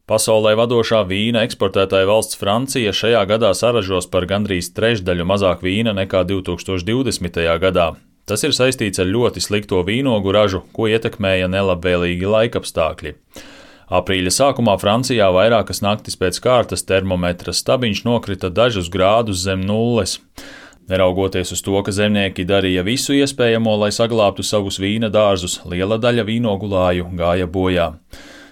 Pasaulē vadošā vīna eksportētāja valsts Francija šajā gadā saražos par gandrīz trešdaļu mazāk vīna nekā 2020. gadā. Tas ir saistīts ar ļoti slikto vīnogu ražu, ko ietekmēja nelabvēlīgi laikapstākļi. Aprīļa sākumā Francijā vairākas naktis pēc kārtas termometra stabiņš nokrita dažus grādus zem nulles. Neraugoties uz to, ka zemnieki darīja visu iespējamo, lai saglābtu savus vīna dārzus, liela daļa vīnogulāju gāja bojā.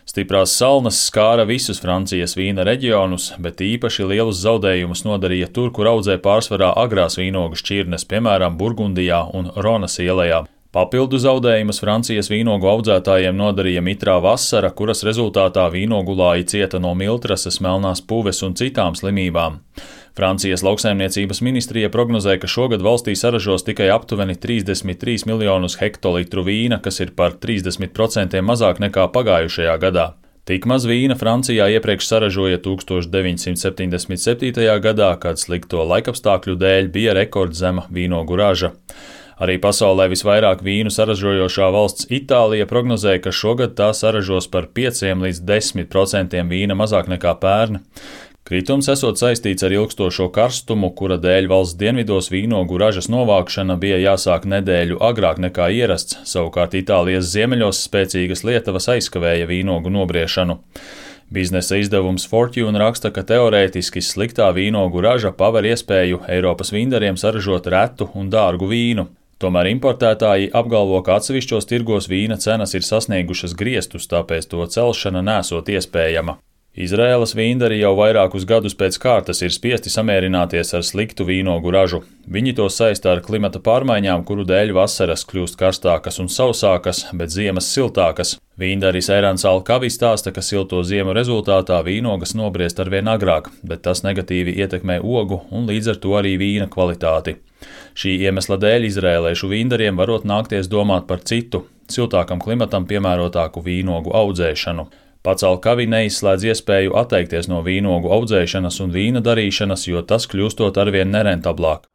Stiprās salnas skāra visus Francijas vīna reģionus, bet īpaši lielus zaudējumus nodarīja tur, kur audzē pārsvarā agrās vīnogu šķirnes, piemēram, Burgundijā un Ronas ielējā. Papildu zaudējumus Francijas vīnogu audzētājiem nodarīja mitrā vasara, kuras rezultātā vīnogulāji cieta no miltrases, melnās puves un citām slimībām. Francijas lauksaimniecības ministrija prognozē, ka šogad valstī saražos tikai aptuveni 33 miljonus hektolitru vīna, kas ir par 30% mazāk nekā pagājušajā gadā. Tik maz vīna Francijā iepriekš saražoja 1977. gadā, kad slikto laikapstākļu dēļ bija rekordzema vīnogu raža. Arī pasaulē visvairāk vīnu saražojošā valsts Itālija prognozēja, ka šogad tā saražos par 5 līdz 10% vīna mazāk nekā pērn. Kritums esot saistīts ar ilgstošo karstumu, kura dēļ valsts dienvidos vīnogu ražas novākšana bija jāsāk nedēļu agrāk nekā ierasts, savukārt Itālijas ziemeļos spēcīgas lietavas aizkavēja vīnogu nobriešanu. Biznesa izdevums Fortune raksta, ka teorētiski sliktā vīnogu raža paver iespēju Eiropas vindariem saražot retu un dārgu vīnu. Tomēr importētāji apgalvo, ka atsevišķos tirgos vīna cenas ir sasniegušas griestus, tāpēc to celšana nesot iespējama. Izraēlas vīndari jau vairākus gadus pēc kārtas ir spiesti samierināties ar sliktu vīnogu ražu. Viņi to saista ar klimata pārmaiņām, kuru dēļ vasaras kļūst karstākas un sausākas, bet ziemas siltākas. Vīndaris Erans Alkavi stāsta, ka silto ziemu rezultātā vīnogas nobriest arvien agrāk, bet tas negatīvi ietekmē ogu un līdz ar to arī vīna kvalitāti. Šī iemesla dēļ izrēliešu vīndariem varot nākties domāt par citu, siltākam klimatam piemērotāku vīnogu audzēšanu. Pats Alkavi neizslēdz iespēju atteikties no vīnogu audzēšanas un vīna darīšanas, jo tas kļūstot arvien nerentablāk.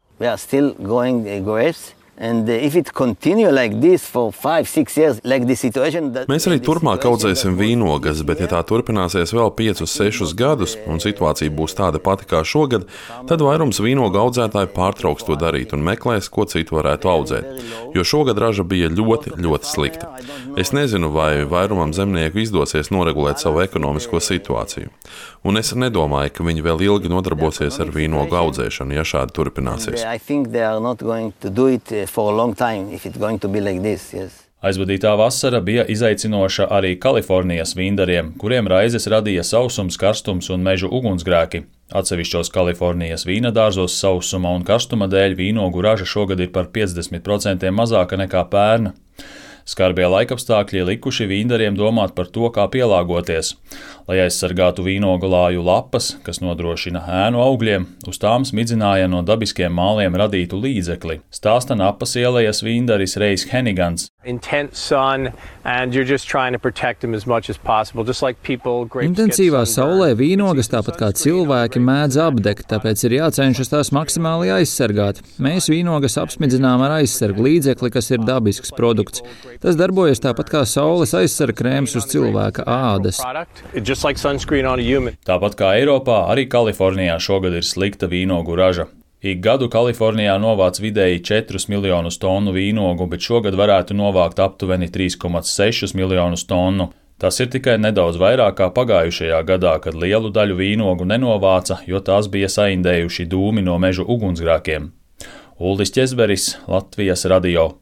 Mēs arī turpmāk audzēsim vīnogas, bet ja tā turpināsies vēl 5-6 gadus un situācija būs tāda pati kā šogad, tad vairums vīnogu audzētāji pārtrauks to darīt un meklēs, ko citu varētu audzēt, jo šogad raža bija ļoti, ļoti slikta. Es nezinu, vai vairumam zemnieku izdosies noregulēt savu ekonomisko situāciju, un es nedomāju, ka viņi vēl ilgi nodarbosies ar vīnogu audzēšanu, ja šādi turpināsies. Aizvadītā vasara bija izaicinoša arī Kalifornijas vīndariem, kuriem raizes radīja sausums, karstums un mežu ugunsgrēki. Atsevišķos Kalifornijas vīna dārzos sausuma un karstuma dēļ vīnogu raža šogad ir par 50% mazāka nekā pērn. Skarbie laikapstākļi likuši vīndariem domāt par to, kā pielāgoties. Lai aizsargātu vīnogulāju lapas, kas nodrošina ēnu augļiem, uz tām smidzināja no dabiskiem māliem radītu līdzekli, stāsta Napas ielejas vīndaris Reis Henigans. Intensīvā saulē vīnogas, tāpat kā cilvēki, mēdz apdegt, tāpēc ir jācenšas tās maksimāli aizsargāt. Mēs vīnogas apsmidzinām ar aizsargu līdzekli, kas ir dabisks produkts. Tas darbojas tāpat kā saules aizsarga krēms uz cilvēka ādas. Tāpat kā Eiropā, arī Kalifornijā šogad ir slikta vīnogu raža. Ik gadu Kalifornijā novāc vidēji 4 miljonus tonu vīnogu, bet šogad varētu novākt aptuveni 3,6 miljonus tonu. Tas ir tikai nedaudz vairāk kā pagājušajā gadā, kad lielu daļu vīnogu nenovāca, jo tās bija saindējuši dūmi no mežu ugunsgrēkiem. Uldis Ķezberis, Latvijas radio.